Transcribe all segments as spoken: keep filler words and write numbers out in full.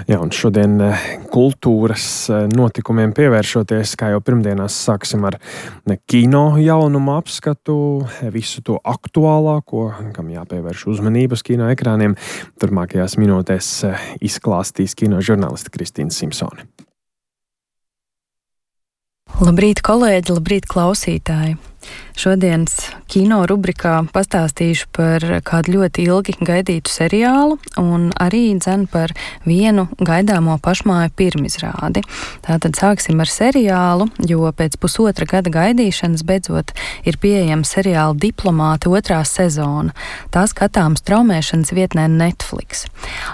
Jā, un šodien kultūras notikumiem pievēršoties, kā jau pirmdienās sāksim ar kino jaunumu apskatu, visu to aktuālāko, kam jāpievērš uzmanības kino ekrāniem. Turmākajās minūtēs izklāstīs kino žurnāliste Kristīna Simpsone. Labrīt, kolēģi, labrīt, klausītāji! Šodienas kino rubrikā pastāstīšu par kādu ļoti ilgi gaidītu seriālu un arī dzen par vienu gaidāmo pašmāju pirmizrādi. Tātad sāksim ar seriālu, jo pēc pusotra gada gaidīšanas beidzot ir pieejama seriāla Diplomāti otrā sezona. Tā skatāms traumēšanas vietnē Netflix.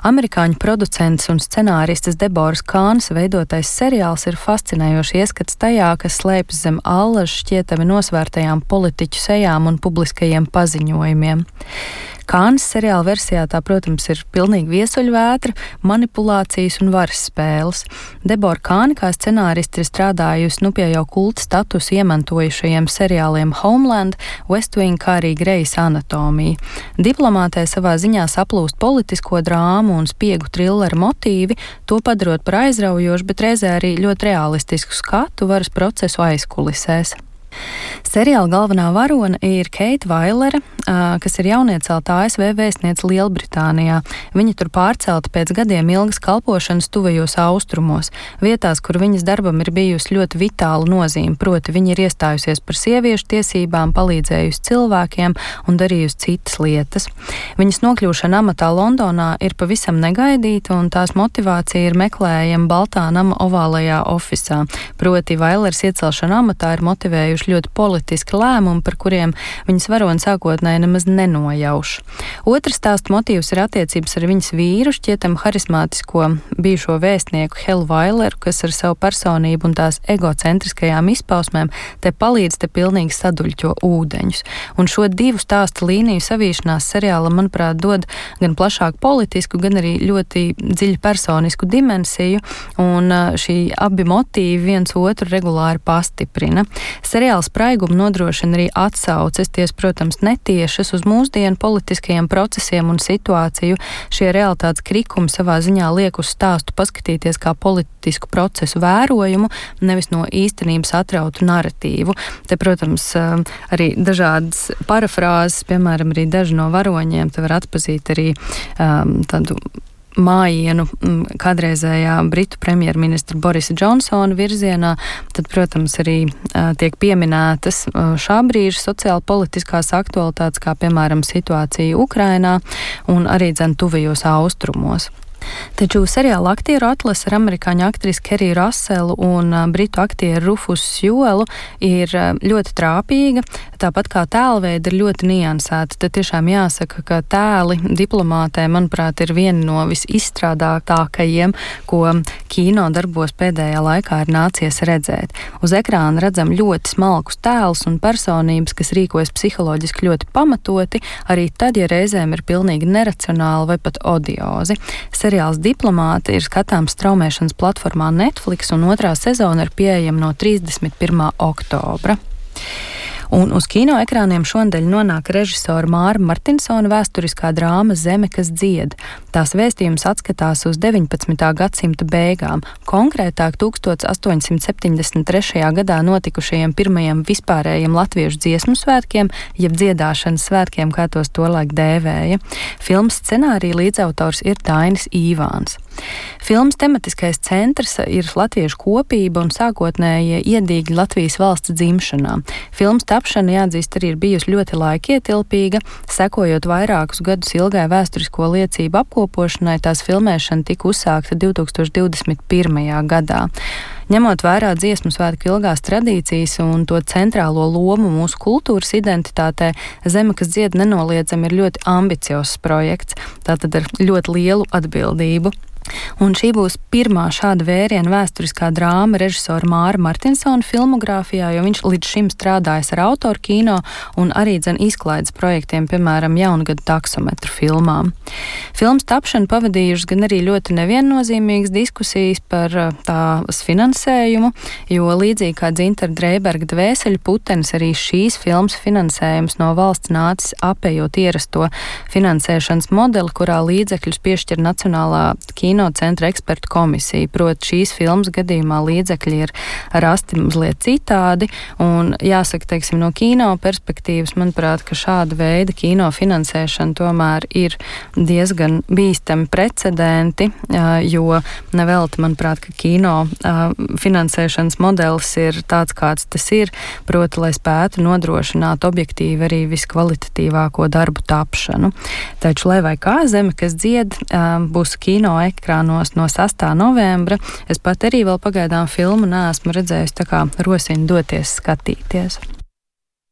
Amerikāņu producents un scenāristes Deboras Kānas veidotais seriāls ir fascinējoši ieskats tajā, kas slēpjas zem allaž šķietami nosvērtajām politiķu sejām un publiskajiem paziņojumiem. Kānas seriāla versijā tā, protams, ir pilnīgi viesuļvētra, manipulācijas un varas spēles. Debora Kāna kā scenāriste ir strādājusi nu pie jau kulta statusu iemantojušajiem seriāliem Homeland, West Wing, kā arī Grey's Anatomija. Diplomātē savā ziņā saplūst politisko drāmu un spiegu trilleru motīvi, to padarot par aizraujošu, bet reizē arī ļoti realistisku skatu varas procesu aizkulisēs. Seriāla galvenā varone ir Keita Vailere, kas ir jauniecelta A S V vēstniece Lielbritānijā. Viņa tur pārcelta pēc gadiem ilgas kalpošanas tuvajos austrumos, vietās, kur viņas darbam ir bijusi ļoti vitāla nozīme, proti viņa ir iestājusies par sieviešu tiesībām, palīdzējusi cilvēkiem un darījusi citas lietas. Viņas nokļūšana amatā Londonā ir pavisam negaidīta, un tās motivācija ir meklējama Baltā nama ovālajā ofisā. Proti Vailers iecelšana amatā ir motivējuši ļoti politiski lēmumi, par kuriem viņas varoni sākotnēji nemaz nenojauš. Otrs stāsta motīvs ir attiecības ar viņas vīru, šķietam harismātisko bijušo vēstnieku Helu Vaileru, kas ar savu personību un tās egocentriskajām izpausmēm te palīdz te pilnīgi saduļķo ūdeņus. Un šo divu stāstu līniju savīšanās seriālam, manuprāt, dod gan plašāku politisku, gan arī ļoti dziļu personisku dimensiju, un šī abi motīvi viens otru regulāri pastiprina. Seriāls spraigumu nodrošina arī atsauces, ties, protams, netiešas uz mūsdienu politiskajiem procesiem un situāciju. Šie realitātes krikumi savā ziņā liek uz stāstu paskatīties kā politisku procesu vērojumu, nevis no īstenības atrautu naratīvu. Te, protams, arī dažādas parafrāzes, piemēram, arī daži no varoņiem, te var atpazīt arī um, tādu mājienu kādreizējā Britu premjerministra Borisa Džonsona virzienā, tad, protams, arī uh, tiek pieminētas uh, šā brīža sociāla-politiskās aktualitātes, kā, piemēram, situācija Ukrainā un arī dzen tuvajos austrumos. Taču seriāla aktieru atlase ar amerikāņu aktrisi Keriju Raselu un britu aktieru Rufusu Sjuelu ir ļoti trāpīga, tāpat kā tēlveidi ir ļoti niansēti. Tad tiešām jāsaka, ka tēli Diplomātē, manuprāt, ir viena no visizstrādātākajiem, ko kino darbos pēdējā laikā ir nācies redzēt. Uz ekrāna redzam ļoti smalkus tēlus un personības, kas rīkojas psiholoģiski ļoti pamatoti, arī tad, ja reizēm ir pilnīgi neracionāli vai pat odiozi. Seriāls Diplomāti ir skatāms straumēšanas platformā Netflix, un otrā sezona ir pieejama no trīsdesmit pirmā oktobra. Un uz kino ekrāniem šonadēļ nonāk režisora Māra Martinsona vēsturiskā drāma Zeme, kas dzied. Tās vēstījums atskatās uz deviņpadsmitā gadsimta beigām, konkrētāk tūkstoš astoņsimt septiņdesmit trešajā gadā notikušajiem pirmajiem vispārējiem latviešu dziesmu svētkiem, jeb dziedāšanas svētkiem, kā tos tolaik dēvēja. Filmas scenārija līdzautors ir Dainis Īvāns. Filmas tematiskais centrs ir latviešu kopība un sākotnējie iedīgi Latvijas valsts dzimšanā. Filmas tapšana, jāatzīst, arī ir bijusi ļoti laikietilpīga. Sekojot vairākus gadus ilgai vēsturisko liecību apkopošanai, tās filmēšana tika uzsākta divtūkstoš divdesmit pirmajā gadā. Ņemot vērā dziesmu svētku ilgās tradīcijas un to centrālo lomu mūsu kultūras identitātē, Zeme, kas dzied, nenoliedzami ir ļoti ambiciozs projekts, tātad ar ļoti lielu atbildību. Un šī būs pirmā šāda vēriena vēsturiskā drāma režisora Māra Martinsona filmogrāfijā, jo viņš līdz šim strādājis ar autoru kino un arī dzen izklaides projektiem, piemēram, jaungada taksometru filmām. Filmas tapšanu pavadījušas gan arī ļoti neviennozīmīgas diskusijas par tās finansējumu, jo līdzīgi kā Dzintara Dreiberga Dvēseļu putenis, arī šīs filmas finansējums no valsts nācis apējot ierasto finansēšanas modeli, kurā līdzekļus piešķir Nacionālā kino centra ekspertu komisija. Proti šīs filmas gadījumā līdzekļi ir rasti mazliet citādi, un jāsaka, teiksim, no kino perspektīvas, manuprāt, ka šāda veida kino finansēšana tomēr ir diezgan bīstami precedenti, jo nevelti, manuprāt, ka kino finansēšanas modelis ir tāds, kāds tas ir, proti, lai spētu nodrošināt objektīvi arī viskvalitatīvāko darbu tapšanu. Taču, lai vai kā Zeme, kas dzied, būs kino ekrānos no sastā novembra. Es pat arī vēl pagaidām filmu neesmu redzējusi, tā kā rosinu doties skatīties.